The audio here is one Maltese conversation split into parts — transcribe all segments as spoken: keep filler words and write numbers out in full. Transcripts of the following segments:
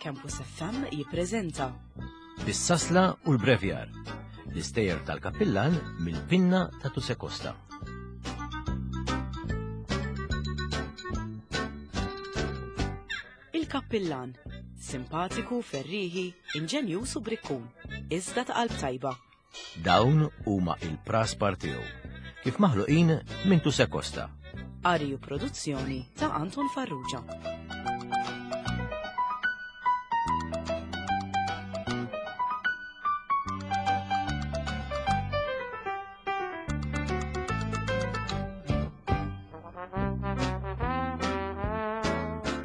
Campus F M jippreżenta Bis-sasla u l-brevjar, l-istejjer tal-kappillan mill-pinna ta' Tusè Costa. Il-kappillan, simpatiku, ferriħi, inġenjuż u brikkun, iżda ta' qalb tajba. Dawn huma il-praspar tiegħu, kif maħluqin minn Tusè Costa. Qari u produzzjoni ta' Anton Farrugia.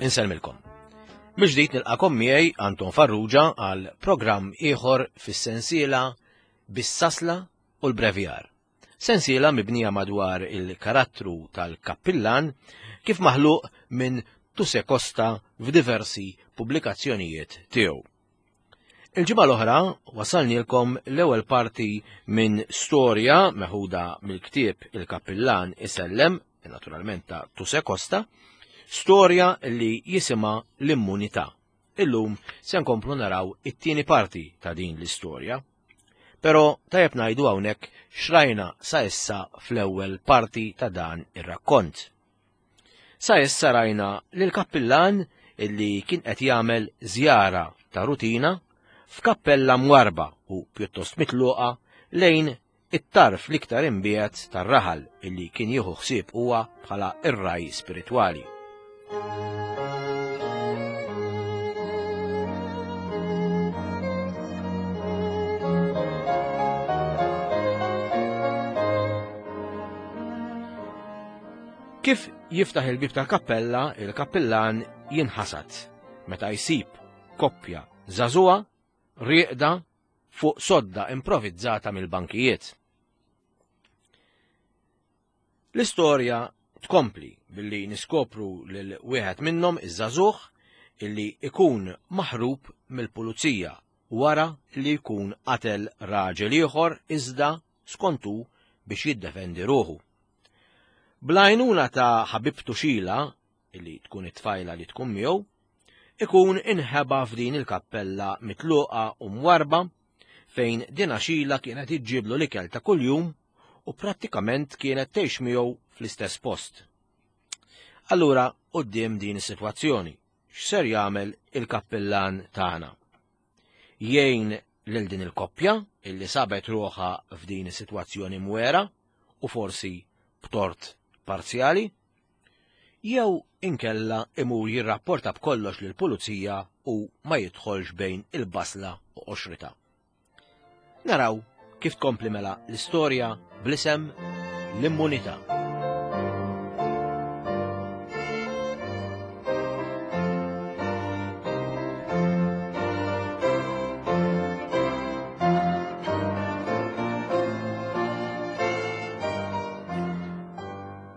Insellmilkom. Mill-ġdid nilqakom miegħi Anton Farrugia għal programm ieħor fis-sensiela Bis-sasla u l-brevjar. Sensiela mibnija madwar il-karattru tal-kappillan kif maħluq minn Tusè Costa f'diversi pubblikazzjonijiet tiegħu. Il-ġimgħa l-oħra wasalnilkom l-ewwel parti minn storja meħuda mill-ktieb Il-Kappillan Isellem, naturalment ta' Tusè Costa, storja li jisimha L-Immunità. Illum se nkomplu naraw it-tieni parti ta' din l-istorja. Però tajjeb ngħidu hawnhekk xrajna sa issa fl-ewwel parti ta' dan ir-rakkont. Sa issa rajna lil kappillan illi kien qed jagħmel żjara ta' rutina f'kappella mwarba u pjuttost mitluqa lejn it-tarf l-iktar imbiegħed tar-raħal illi kien jieħu ħsieb huwa bħala ir-raj spiritwali. Kif jiftaħ il-bib tal-kappella, il-kappillan jinħasad meta jsib koppja żagħżugħa rieqda fuq sodda improvizzata mill-bankijiet. L-istorja tkompli billi niskopru lil wieħed minnhom iż-żagħżugħ illi ikun maħrub mill-pulizija wara li jkun qatel raġel ieħor iżda skontu biex jiddefendi ruħu. Bl-għajnuna ta' ħabibtu Xila, illi tkun it-tfajla li tkun miegħu, ikun inħeba f'din il-kappella mitluqa u mwarba fejn dina Xila kienet iġġiblu l-ikel ta' kuljum u prattikament kienet tgħix miegħu fl-istess post. Allura, quddiem din is-sitwazzjoni, x'ser jagħmel il-kappillan tagħna? Jgħin lil din il-koppja illi sabet ruħha f'din is-sitwazzjoni mwera u forsi b'tort parzjali, jew inkella imur jirrapporta b'kollox lill-pulizija u ma jidħolx bejn il-basla u qoxrita. Naraw kif tkompli mela l-istorja bl-isem L-Immunità.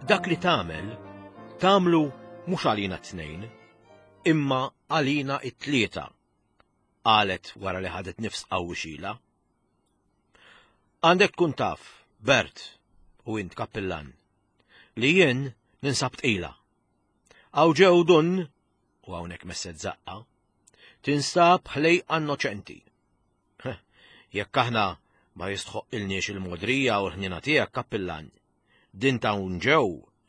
Dak li tagħmel, tagħmlu mhux għalina t-tnejn, imma għalina t-tlieta, qalet wara li ħadet nifs qawwi Xila. Għandek tkun taf, Bert, u int kappillan, li jien ninsab tqila. Hawn ġew dun, u hawnhekk messet zaqqa, tinsab ħlejqa innoċenti. Heh, jekk aħna ma jistħoqilniex il-modrija u l-ħnina tiegħek, kappillan, din ta' hawn ġew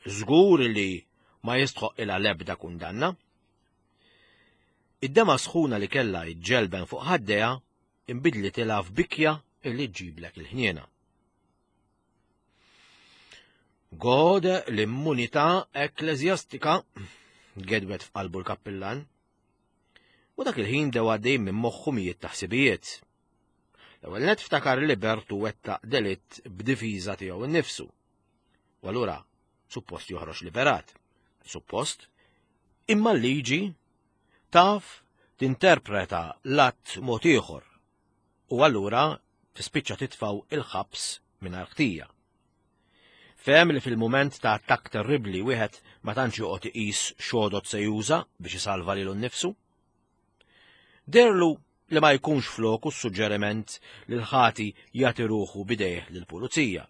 żgur li ma jistħoqilha l-ebda kundanna. Id-dema sħuna li kellha ġġelben fuq ħaddejha inbidlitilha f'bikja illi ġġiblek il-ħniena. Gode l-immunità ekkleżjastika, gedwet f'qalbu l-kappillan. U dak il-ħin dew għaddej minn moħħu mijiet ta' ħsibijiet. L-ewwel nett ftakar li Bertu wettaq delitt b'difiża tiegħu nnifsu. U allura suppost joħroġ liberat. Suppost, imma l-liġi taf tinterpreta l-att mod ieħor. U allura tispiċċa titfaw il-ħabs mingħajr ħtija. Fehem li fil-mument ta' attakk terribbli wieħed ma tantx joqgħod iqis x'għodod se juża biex isalva lilu nnifsu. Derlu li ma jkunx floku s-suġġeriment li l-ħati jagħti ruħu bidejh lill-pulizija.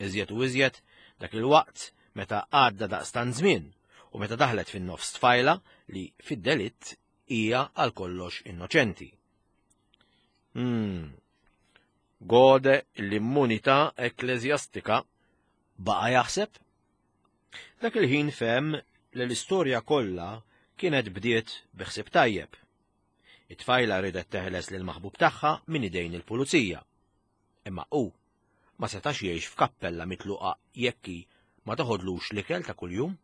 Iżjed u iżjed dak il-waqt meta għadda daqstant żmien u meta daħlet fin-nofs tfajla li fid-delitt hija għal kollox innoċenti. Hmm. Gode l-immunità ekkleżjastika, baqa' jaħseb. Dak il-ħin fehem li l-istorja kollha kienet bdiet bi ħsieb tajjeb. It-tfajla ridet teħles lil maħbub tagħha minn idejn il-pulizija. Imma hu ma setax jgħix f'kappella mitluqa jekk hi ma toħodlux l-ikel ta' kuljum.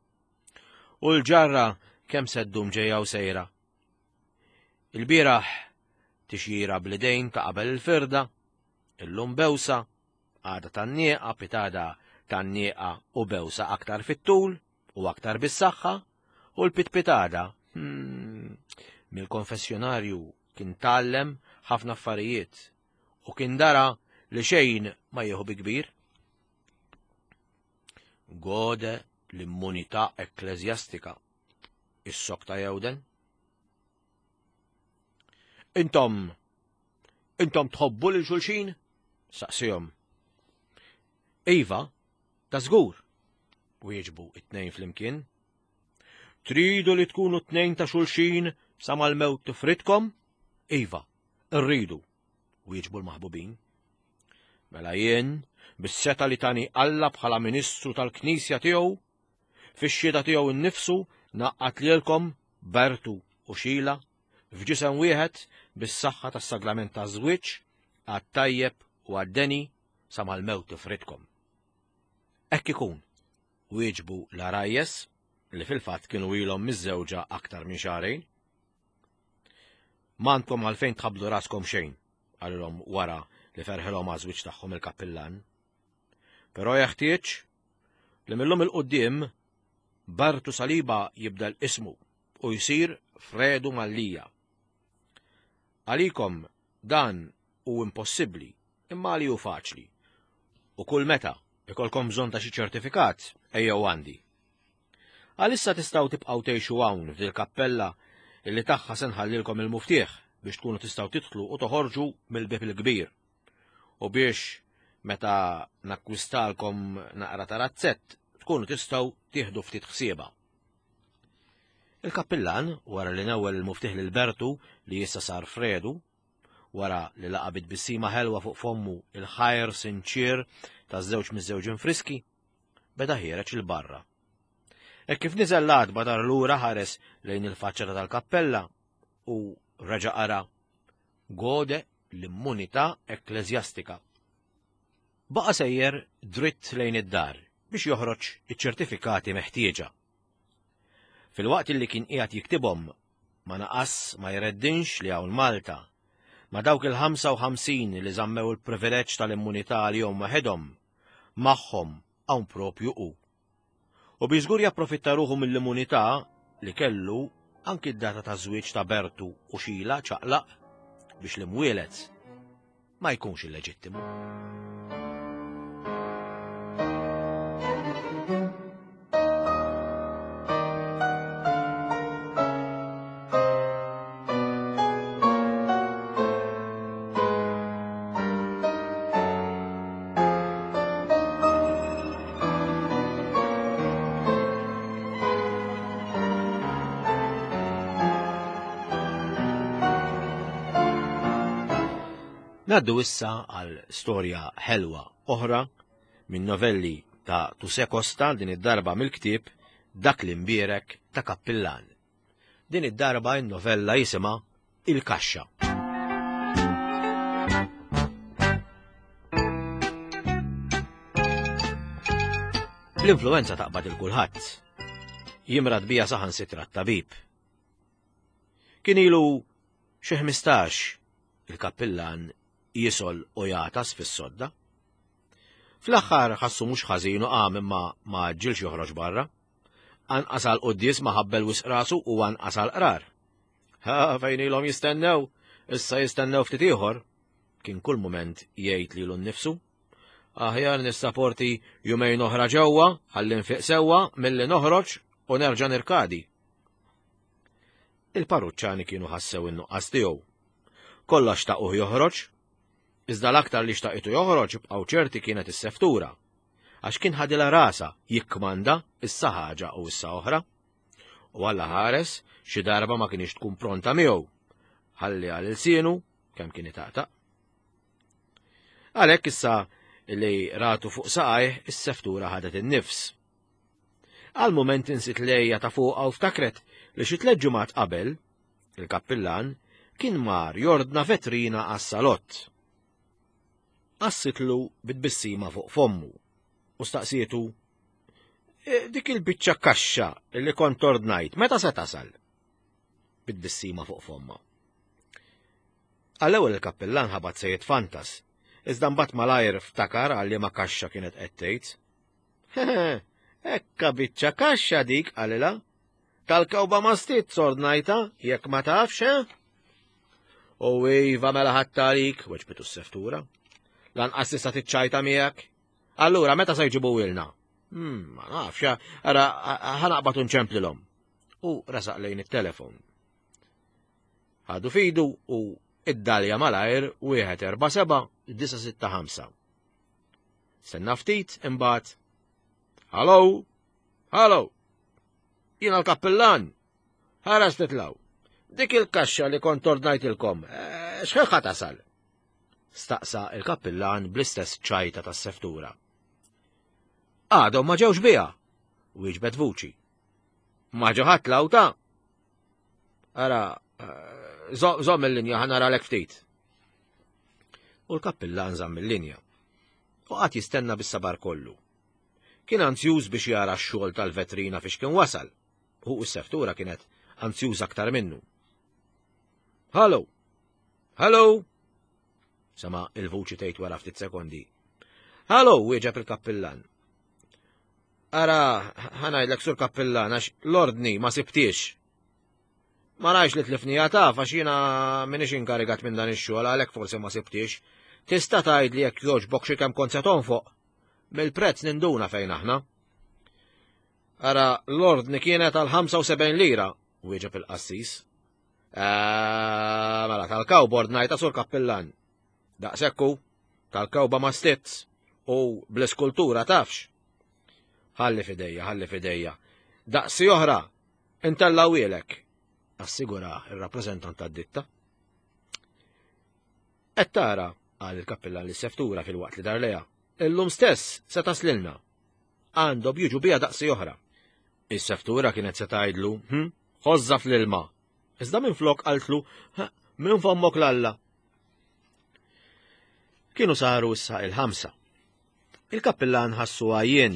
U l-ġarra kemm se ddum ġejja u sejra. Il-bieraħ tixjira bl-idejn ta' qabel il-firda, illum bewsa, għada tan-nieqa, pitada tan-nieqa u bewsa aktar fit-tul u aktar bis-saħħa, u l-pitpitada. Hmm, mill-konfessjonarju kien tgħallem ħafna affarijiet u kien dara li xejn ma jieħu bi kbir. Gode l-immunità ekkleżjastika, is-sokta jewden. Intom, intom tħobbu lil xulxin? Saqsihom. Iva, ta' żgur, wieġbu it-tnejn flimkien. Tridu li tkunu tnejn ta' xulxin sa mal-mewt tifridkom? Iva, rridu, wieġbu l-maħbubin. Mela jien, bis-seta li tani Alla bħala ministru tal-Knisja tiegħu, fix-xhieda tiegħu nnifsu naqqat lilkom Bertu u Xila f'ġisem wieħed bis-saħħa tas-sagrament taż-żwieġ għat-tajjeb u għad-deni sa mal-mewt tifridkom. Hekk ikun, wieġbu l-għarajjes li fil-fatt kienu ilhom miż-żewġa aktar minn xahrejn. M'għandkom għalfejn tħabblu raskom xejn, qalilhom wara li ferħilhom għaż-żwieġ tagħhom il-kappillan. Però jeħtieġ li millum il-quddiem Bertu Saliba jibdel ismu u jsir Fredu Mallia. Għalikom dan hu impossibbli, imma għali hu faċli. U kull meta ikolkom bżonn ta' xi ċertifikat, ejjew għandi. Għalissa tistgħu tibqgħu tgħixu hawn f'dil kappella illi tagħha se nħallilkom il-muftieħ biex tkunu tistgħu tidħlu u toħorġu mill-bieb il-kbir. U biex meta nakkwistalkom naqra ta' razzett tkunu tistgħu tieħdu ftit ħsieba. Il-kappillan, wara li newwel il-muftieħ lil Bertu li issa sar Fredu, wara li laqa' bi tbissima ħelwa fuq fommu il-ħajr sinċier taż-żewġ miż-żewġin friski, beda ħiereġ il barra. Hekk kif niżel l-għatba dar lura ħares lejn il-faċċata tal-kappella u reġa' qara gode l-immunità ekkleżjastika. Baqa' sejjer dritt lejn id-dar biex joħroġ iċ-ċertifikati meħtieġa. Fil-waqt li kien qiegħed jiktibhom ma naqas ma jreddinx li hawn Malta ma dawk il-ħamsa u ħamsin li żammew il-privileġġ tal-immunità għalihom waħedhom, magħhom hawn propju hu. U biex żgur japprofitta ruħu mill-immunità li kellu anki d-data ta' żwieġ ta' Bertu u Xila ċaqlaq biex l-imwielet ma jkunx illeġittimu. Naddu issa għal storja ħelwa oħra minn novelli ta' Tuse Costa, din id-darba mill-ktieb Dak l-imbierek ta' Kappillan. Din id-darba n-novella jisimha Il-Kaxxa. L-influenza taqbad il kulħadd. Jimrad bija saħansitra t-tabib. Kien ilu xi ħmistax il-kappillan jisol u jagħtas fis-sodda. Fl-aħħar ħassu mhux ħażin u qam imma ma għaġġilx joħroġ barra. Anqas għal quddies ma ħabbel wisq rasu u anqas għal qrar. Ha, fejn ilhom jistennew, issa jistennew ftit ieħor. Kien kull mument jgħid lilu nnifsu. Aħjar nissaporti jumejn oħra ġewwa ħalli nfiq sewwa milli noħroġ u nerġa' nirkadi. Il-parruċċani kienu ħassew in-nuqqas tiegħu. Kollha xtaquh joħroġ, iżda l-aktar li xtaqitu joħroġ bqgħu ċerti kienet is-seftura, għax kien ħadilha rasa jikkmanda issa ħaġa u issa oħra. U Alla ħares xi darba ma kienx tkun pronta miegħu. Ħalli għal ilsienu kemm kien itaqtaq. Għalhekk issa li ratu fuq saqajh is-seftura ħadet in-nifs. Għal mument insit lejja ta' fuqha u ftakret li xi tliet ġimgħat qabel, il-kappillan kien mar jordna vetrina għas-salott. Qassitlu bit-tbissima fuq fommu u staqsietu: "Dik il-biċċa kaxxa li kont ordnajt, meta se tasal?" Bit-tbissima fuq fomma. Għall-ewwel il-kappillan ħabat se jitfantas, iżda mbagħad malajr ftakar għal liema kaxxa kienet qed tgħid. "Ekka biċċa kaxxa dik," qalilha. "Tal-kewba ma stitz ordnajta, jekk ma tafx, eh?" "U iva mela ħadd għalik," weġbitu s-seftura. "Lanqas tista' tiċċajta miegħek. Allura meta se jġibuhielna?" "Hmm, ma nafx, ara ħa naqbad u nċemplilhom." U resaq lejn it-telefon. Ħadu fidu u id-dalja malajr wieħed erba' seba' disa' sitta ħamsa. Stenna ftit imbagħad: "Hallo, hallo, jiena l-kappillan, ħares titlaw. Dik il-kaxxa li kont ordnajtilkom, x'ħin tasal?" Staqsa il-kappillan bl-istess ċajta tas-seftura. "Għadhom ma ġewx biha," wieġbet vuċi. "Ma ġew ħadd lawta?" "Ara, żomm il-linja ħa naralek ftit." U l-kappillan żamm il-linja. U qagħad jistenna bis-sabar kollu. Kien anzjuż biex jara x-xogħol tal-vetrina fiex kien wasal. U s-seftura kienet anzjuż aktar minnu. "Hallo! Hallo!" Sama il-vuċi tgħid wara ftit sekondi. "Hallo!" wieġeb il-kappillan. "Ara, ħa ngħidlek sur kappillan, għax l-ordni ma sibtix. Ma rajx li tlifnija taf, għax jiena minix inkarigat minn dan ix-xogħol, għalhekk forsi ma sibtix. Tista' tgħidli jekk jogħġbok xi kemm kont se tonfoq? Mill-prezz ninduna fejn aħna." "Ara, l-ordni kienet għal ħamsa u sebgħin lira," wieġeb il-qassis. "Mela tal-kawbord ngħidha sur kappillan. Daqsekku, tal-kawba ma stitz u bl-iskultura tafx." "Ħalli fidejja, ħalli fidejja. Daqsi oħra, intellawilek," assigura il-rappreżentant tad-ditta. "Qed tara," qal il-kappillan lis-seftura fil-waqt li dar leha, "illum stess se taslilna. Għandhom jiġu biha daqsi oħra." Is-seftura kienet se tgħidlu, "Hm, ħożża fl-ilma." Iżda minflok qaltlu, "Minn fommok l-Alla." Kienu saru issa il-ħamsa. Il-kappillan ħassu għajjien.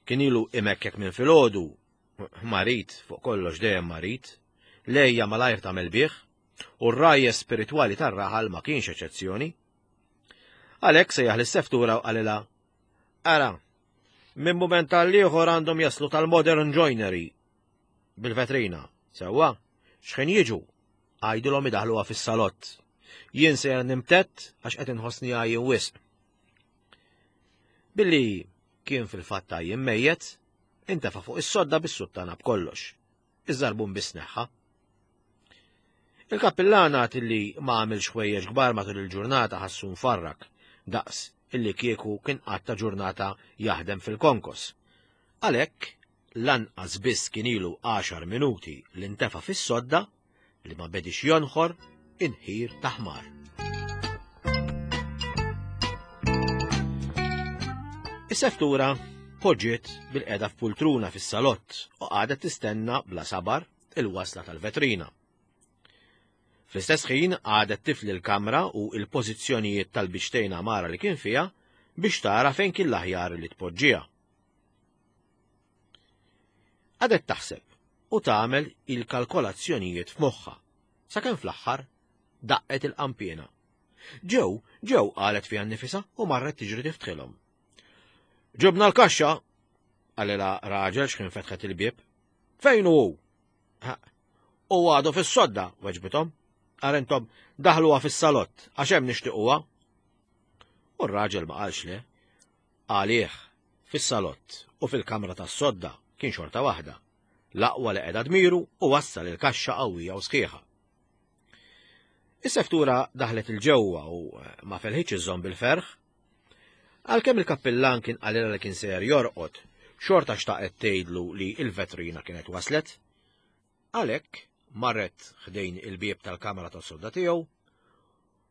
Kien ilu imekkek minn filgħodu, marid, fuq kollox dejjem marid, lejja malajr tagħmel bih, u r-rajja spiritwali tar-raħal ma kienx eċezzjoni. Għalhekk sejjaħ lis-seftura u qalilha: "Ara, minn mument tal-ieħor għandhom jaslu tal-Modern Joinery bil-vetrina. Sewwa, x'ħin jiġu, għajdilhom idaħluha fis-salott. Jien sejjer nimtett għax qed inħossni għajjien wisq." Billi kien fil-fatt għajjien mejjet, intefa' fuq is-sodda bis-suttana b'kollox. Iż-żarbun biss neħħa. Il-kappillan għad illi ma għamilx ħwejjeġ kbar matul il-ġurnata ħassu nfarrak, daqs illi kieku kien qatta ġurnata jaħdem fil-konkos. Għalhekk lanqas biss kien ilu għaxar minuti li ntefa' fis-sodda li ma bedix jonħor inħir ta' ħmar. Is-seftura poġġiet bil-qeda f'pultruna fis-salott u qagħdet tistenna bla sabar il-wasla tal-vetrina. Fl-istess ħin qagħdet tifli l-kamra u l-pożizzjonijiet tal-biċtejn għamara li kien fiha biex tara fejn kien l-aħjar li tpoġġiha. Qagħdet taħseb u tagħmel il-kalkolazzjonijiet f'moħħha sakemm fl-aħħar daqqet il-qampiena. Ġew, ġew, qalet fiha nnifisha u marret tiġri tiftħilhom. "Ġibna l-kaxxa," qalilha raġel x'kien fetħet il-bieb. "Fejn hu?" "U għadu fis-sodda," weġbithom. "Arentom daħluha fis-salott għax hemm nixtiequha." U r-raġel ma qalx le. Għalih fis-salott u fil-kamra tas-sodda kien xorta waħda. L-aqwa li qiegħda dmiru u wassal il-kaxxa qawwija u sħiħa. Is-seftura daħlet il-ġewwa u ma felħitx iżżomm bil-ferħ. Għalkemm il-kappillan kien qalilha li kien sejjer jorqod, Xorta xtaqet tgħidlu li l-vetrina kienet waslet. Għalhekk marret ħdejn il-bieb tal-kamra tas-sodda tiegħu,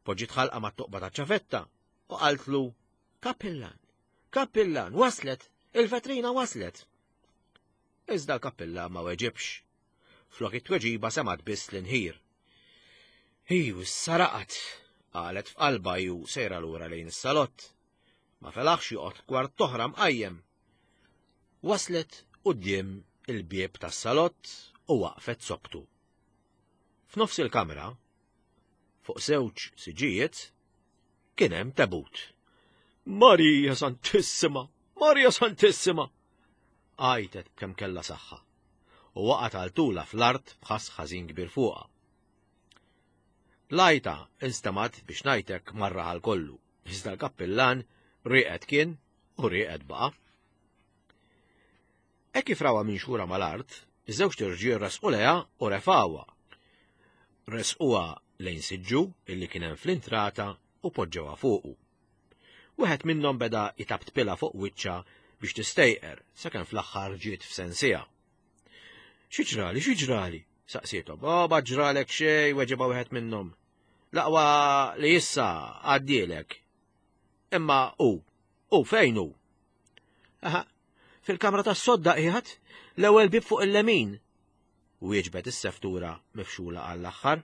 poġġiet ħalqa mat-toqba taċ-ċavetta u qaltlu: "Kappillan, kappillan, waslet, il-vetrina waslet." Iżda l-kappillan ma weġibx. Flok it-tweġiba semgħet biss l-inħir. "Iju, saraqat," qalet f'qalba ju sejra lura lejn is-salott. Ma felaħx joqgħod kwart toħra mqajjem. Waslet quddiem il-bieb tas-salott u waqfet soktu. F'nofs il-kamra, fuq żewġ siġijiet, kien hemm tebut. "Marija Santissima! Marija Santissima!" għajtet b'kemm kellha saħħa u waqgħet għal tula fl-art b'ħass ħażin kbir fuqha. L-għajta instemgħet biex ngħidlek mar-raħal kollu, iżda l-kappillan rieqed kien u rieqed baqa'. Hekk kif rawha minxura mal-art, iż-żewġ irġiel resqu lejha u refgħuha. Resquha lejn siġġu illi kien hemm fl-intrata u poġġewha fuqu. Wieħed minnhom beda jtabtpilha fuq wiċċha biex tistejqer sakemm fl-aħħar ġiet f'sensiha. "Xi ġrali, xi ġrali?" saqsiethom. "Oh, ma ġralek xejn," weġibha wieħed minnhom. "L-aqwa li issa għaddielek. Imma hu, hu fejn hu?" "Aha, fil-kamra tas-sodda qiegħed, l-ewwel bieb fuq il-lemin," wieġbet is-seftura mifxula għall-aħħar.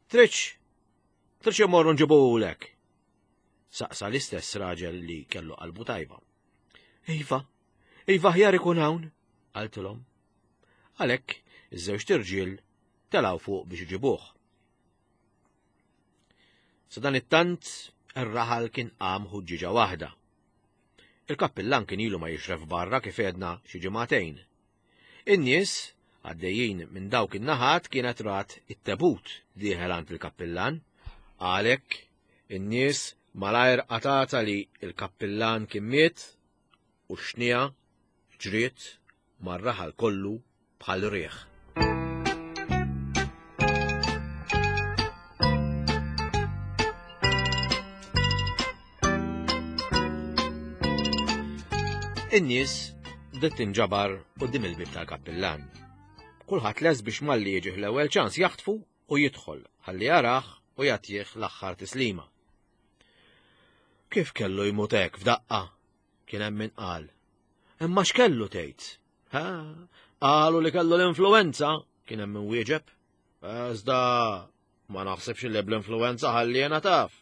"Tridx, tridx immorru nġibuhulek?" saqsa l-istess raġel li kellu qalbu tajba. "Iva, iva ħjar ikun hawn," qaltilhom. Għalhekk iż-żewġ irġiel telgħu fuq biex iġibuh. Sa dan it-tant ir-raħal kien qam ħuġġiġa waħda. Il-kappillan kien ilu ma jixref barra kif għedna xi ġimagħtejn. In-nies għaddejjin minn dawk in-naħat kienet rat it-tebut dieħel għand il-kappillan. Għalhekk in-nies malajr qatata li l-kappillan kien miet u xnija ġriet mar-raħal kollu bħal riħ. In-nies bdiet tinġabar quddiem il-bieb tal-kappillan. Kulħadd les biex malli jiġih l-ewwel ċans jaħtfu u jidħol ħalli jarah u jagħtih l-aħħar tislima. Kif kellu jmut hekk f'daqqa? Kien hemm min qal. Imma x'kellu tgħid? Ha, qalu li kellu l-influenza, kien hemm min wieġeb. Iżda ma naħsibx li bl-influenza ħalli jiena taf.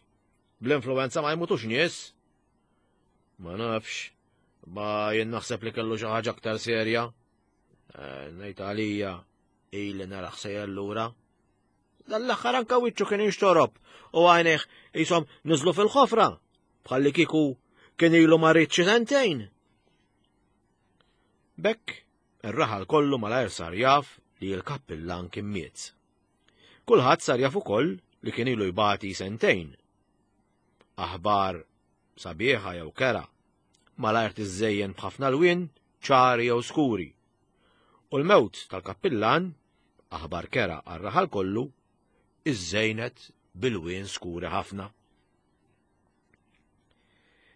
Bl-influenza ma jmutux nies. Ma nafx, ma jien naħseb li kellu xi ħaġa aktar serja. Ngħid għalija ili naraħ sejjer lura. Dan l-aħħar anke wiċċu kien jinxtorob u għajnejh qishom niżlu fil-ħofra bħalli kieku kien ilu marid xi sentejn. B'hekk ir-raħal kollu malajr sar jaf li l-kappillan kien miet. Kulħadd sar jaf ukoll li kien ilu jbati sentejn. Aħbar sabiħa jew kera malajr tiżżejjen b'ħafna lwien ċari jew skuri. U l-mewt tal-kappillan, aħbar kera għar-raħal kollu, iżżejnet bil-lwien skuri ħafna.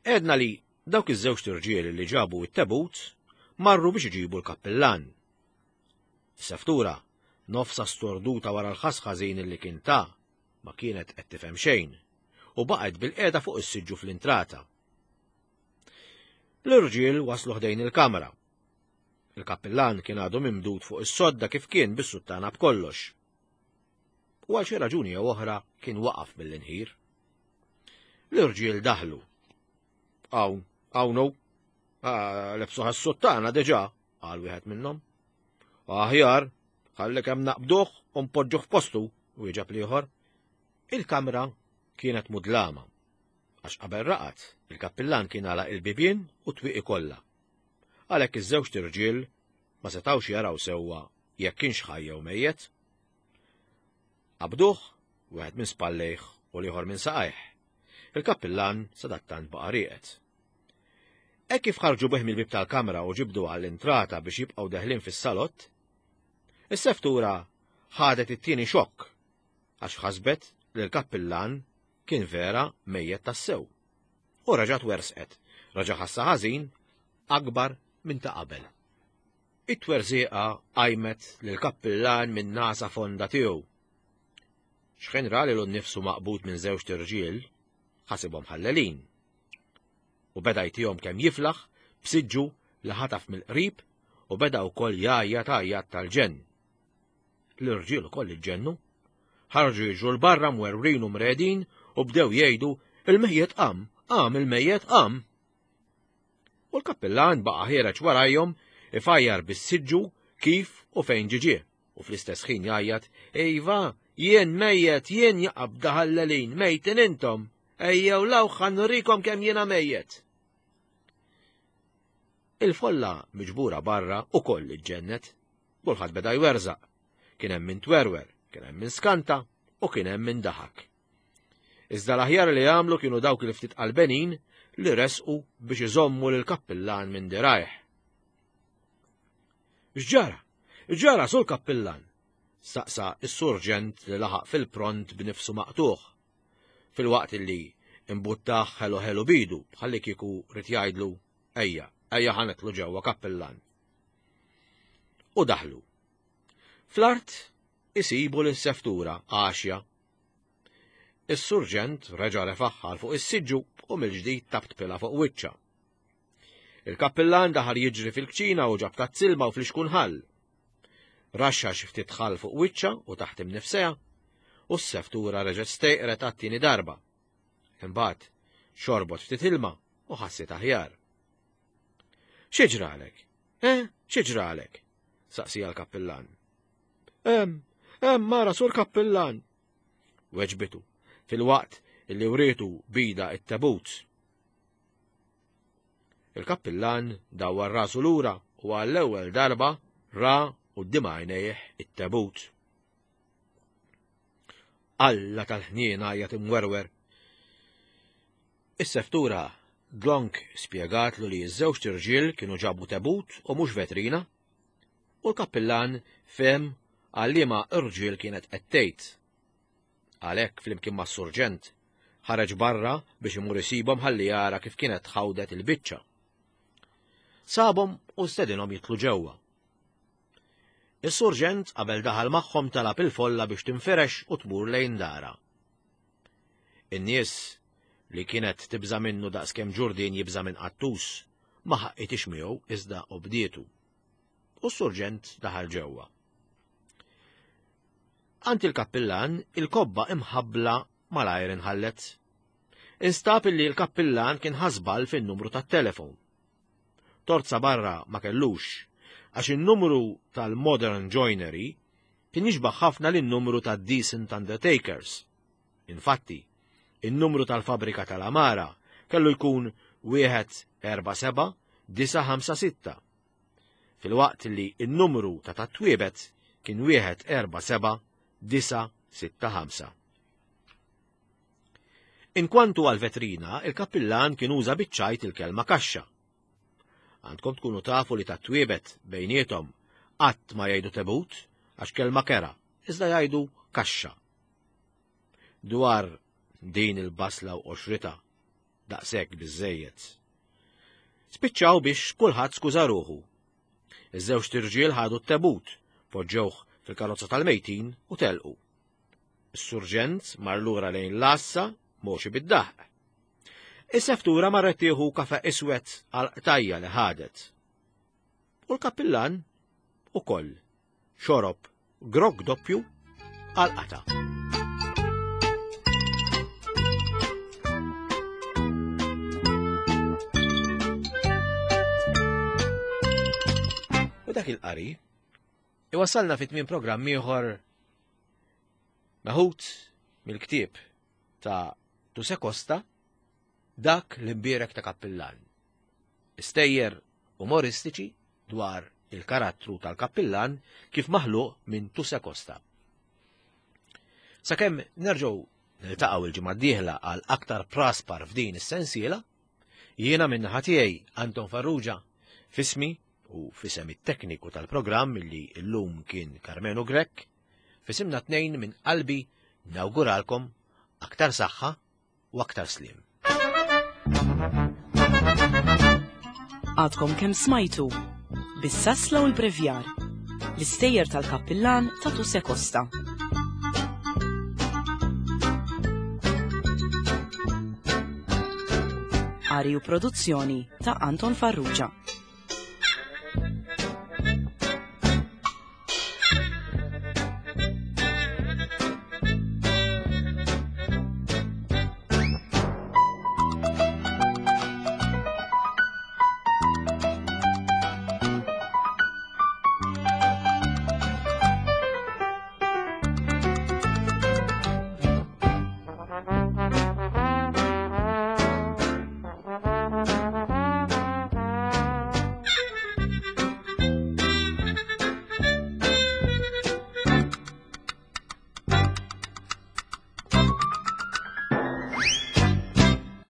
Għedna li dawk iż-żewġ irġiel li ġabu it-tebut marru biex iġibu l-kappillan. Seftura, nofsa storduta wara l-ħass ħażin li kien ta' ma kienet qed tifhem xejn u baqgħet bil-qiegħda fuq is-siġġu fl-intrata. L-irġiel waslu ħdejn il-kamra. Il-kappillan kien għadu mimdud fuq is-sodda kif kien bis-suttana b'kollox. U għal xi raġuni jew oħra kien waqaf mill-inħir. L-irġiel daħlu. "Hawn, hawn hu, lebsuha s-suttana diġà," qal wieħed minnhom. "Aħjar, ħalli kemm naqbduh u npoġġuh f'postu," wieġeb l-ieħor. Il-kamra kienet mudlama, għax qabel raqat il-kappillan kien għalaq il-bibien u twieqi kollha. Għalhekk iż-żewġ irġiel ma setgħux jaraw sewwa jekk kienx ħaj jew mejjet. Qabduh, wieħed minn spallejh u l-ieħor minn saqajh. Il-kappillan sadattant baqa' rieqed. Hekk kif ħarġu bih mill-bieb tal-kamra u ġibdu għall-intrata biex jibqgħu deħlin fis-salott, is-seftura ħadet it-tieni xokk għax ħasbet li l-kappillan kien vera mejjet tassew. U raġat wersqet, Raġa' ħassa ħażin akbar minn ta' qabel. It-twerżieqa qajmet lill-kappillan minn nasa fonda tiegħu. X'ħin ra lilu nnifsu maqbud minn żewġt irġiel, ħasibhom ħallelin. U beda jtihom kemm jiflaħ b'siġġu li ħataf mill-qrib u beda wkoll jgħajjat għajjat tal-ġenn. L-irġiel ukoll iġġennu. Ħarġu jiġru 'l barra mwerwrin u mredin u bdew jgħidu il-mejjet qam, qam il-mejjet qam. U l-kappillan baqa' ħiereġ warajhom ifajjar bis-siġġu kif u fejn ġie u fl-istess ħin jgħajjat iva, jien mejjet, jien jaqabda ħallelin, mejtin intom, ejjew law ħa nurikom kemm jiena mejjet. Il-folla miġbura barra ukoll iġġennet, kulħadd beda jwerżaq, kien hemm min twerwer, kien hemm min skanta u kien hemm min daħak. Iżda l-aħjar li għamlu kienu dawk li ftit qalbenin li resqu biex iżommu lill-kappillan minn dirajh. X'ġara? X'ġara sul kappillan? Staqsa s-surġent li laħaq fil-pront b'nifsu maqtuħ. Fil-waqt li imbuttaħ ħelu ħelu bidu bħalli kieku rid jgħidlu ejja, ejja ħa nidħlu ġewwa kappillan. U daħlu. Fl-art isibu lis-seftura għaxja. Is-surġent reġa' refaħħal fuq is-siġġu u mill-ġdid tabtpilha fuq wiċċha. Il-kappillan daħal jiġri fil-kċina u ġab tazzilma u flixkun ħall. Raxxa xi ftit ħall fuq wiċċha u taħt imnifsejha u s-seftura reġgħet stejqret għat-tieni darba. Imbagħad xorbot ftit ilma u ħassit aħjar. Xi ġralek? Eh, xi ġralek? Saqsija l-kappillan. Hemm, hemm mara sur kappillan. Weġbitu fil-waqt illi wrietu bida it-tabut. Il-kappillan dawwar rasu lura u għall-ewwel darba ra quddiem għajnejh it-tabut. Alla tal-ħniena għajjat imwerwer. Is-seftura dlonk spjegatlu li ż-żewġt irġiel kienu ġabu tabut u mhux vetrina, u l-kappillan fehem għal liema irġiel kienet qed tgħid. Għalhekk flimkien mas-surġent ħareġ barra biex imur isibhom ħalli jara kif kienet tħawdet il-biċċa. Sabhom u stedinhom jitlu ġewwa. Is-surġent qabel daħal magħhom talab il-folla biex tinfirex u tmur lejn dara. In-nies li kienet tibża' minnu daqskemm ġurdien jibża' minn qattus ma ħaqqitix miegħu iżda obdietu. U s-surġent daħal ġewwa. Għand il-kappillan il-kobba imħabbla malajr inħallet. Instab illi l-kappillan kien ħasbal fin-numru tat-telefon. Torza barra ma kellux, għax in-numru tal-Modern Joinery kien jixbaħ ħafna lin-numru tad-Decent Undertakers. Infatti, in-numru tal-fabrika tal-Amara kellu jkun wieħed erba' seba' disa' ħamsa sitta, fil-waqt li n-numru ta' tat-twiebet kien wieħed erba' seba' disa' sitta ħamsa. Inkwantu għal-vetrina, il-kappillan kien uża biċ-ċajt il-kelma kaxxa. Għandkom tkunu tafu li tat-twiebet bejniethom qatt ma jgħidu tebut għax kelma kera, iżda jgħidu kaxxa. Dwar din il-basla u qoxrita, daqshekk biżżejjed. Spiċċaw biex kulħadd skuża ruħu. Iż-żewġt irġiel ħadu t-tebut, poġġewh fil-karozza tal-mejtin u telqu. Is-surġent mar lura lejn l-għassa moxi bid-daħq. Is-seftura marret tieħu kafe iswed għal qtajja li ħadet. U l-kappillan ukoll xorob grog doppju għal qata. U dak il-qari iwassalna fit tmiem programm ieħor meħud mill-ktieb ta' Tuse Costa, Dak l-imbierek ta' kappillan. Istejjer umoristiċi dwar il-karattru tal-kappillan kif maħluq minn Tuse Costa. Sakemm nerġgħu niltaqgħu il-ġimgħa d-dieħla għal aktar praspar f'din is-sensiela, jiena minn naħa tiegħi Anton Farrugia fismi u fisem it-tekniku tal-programm li llum kien Karmenu Grech, fisimna tnejn minn qalbi nawguralkom aktar saħħa u aktar slim. Thank you. Għadkom kemm smajtu Bis-sasla u l-brevjar, l-istejjer tal-kappillan ta' Tuse Costa. Qari u produzzjoni ta' Anton Farrugia.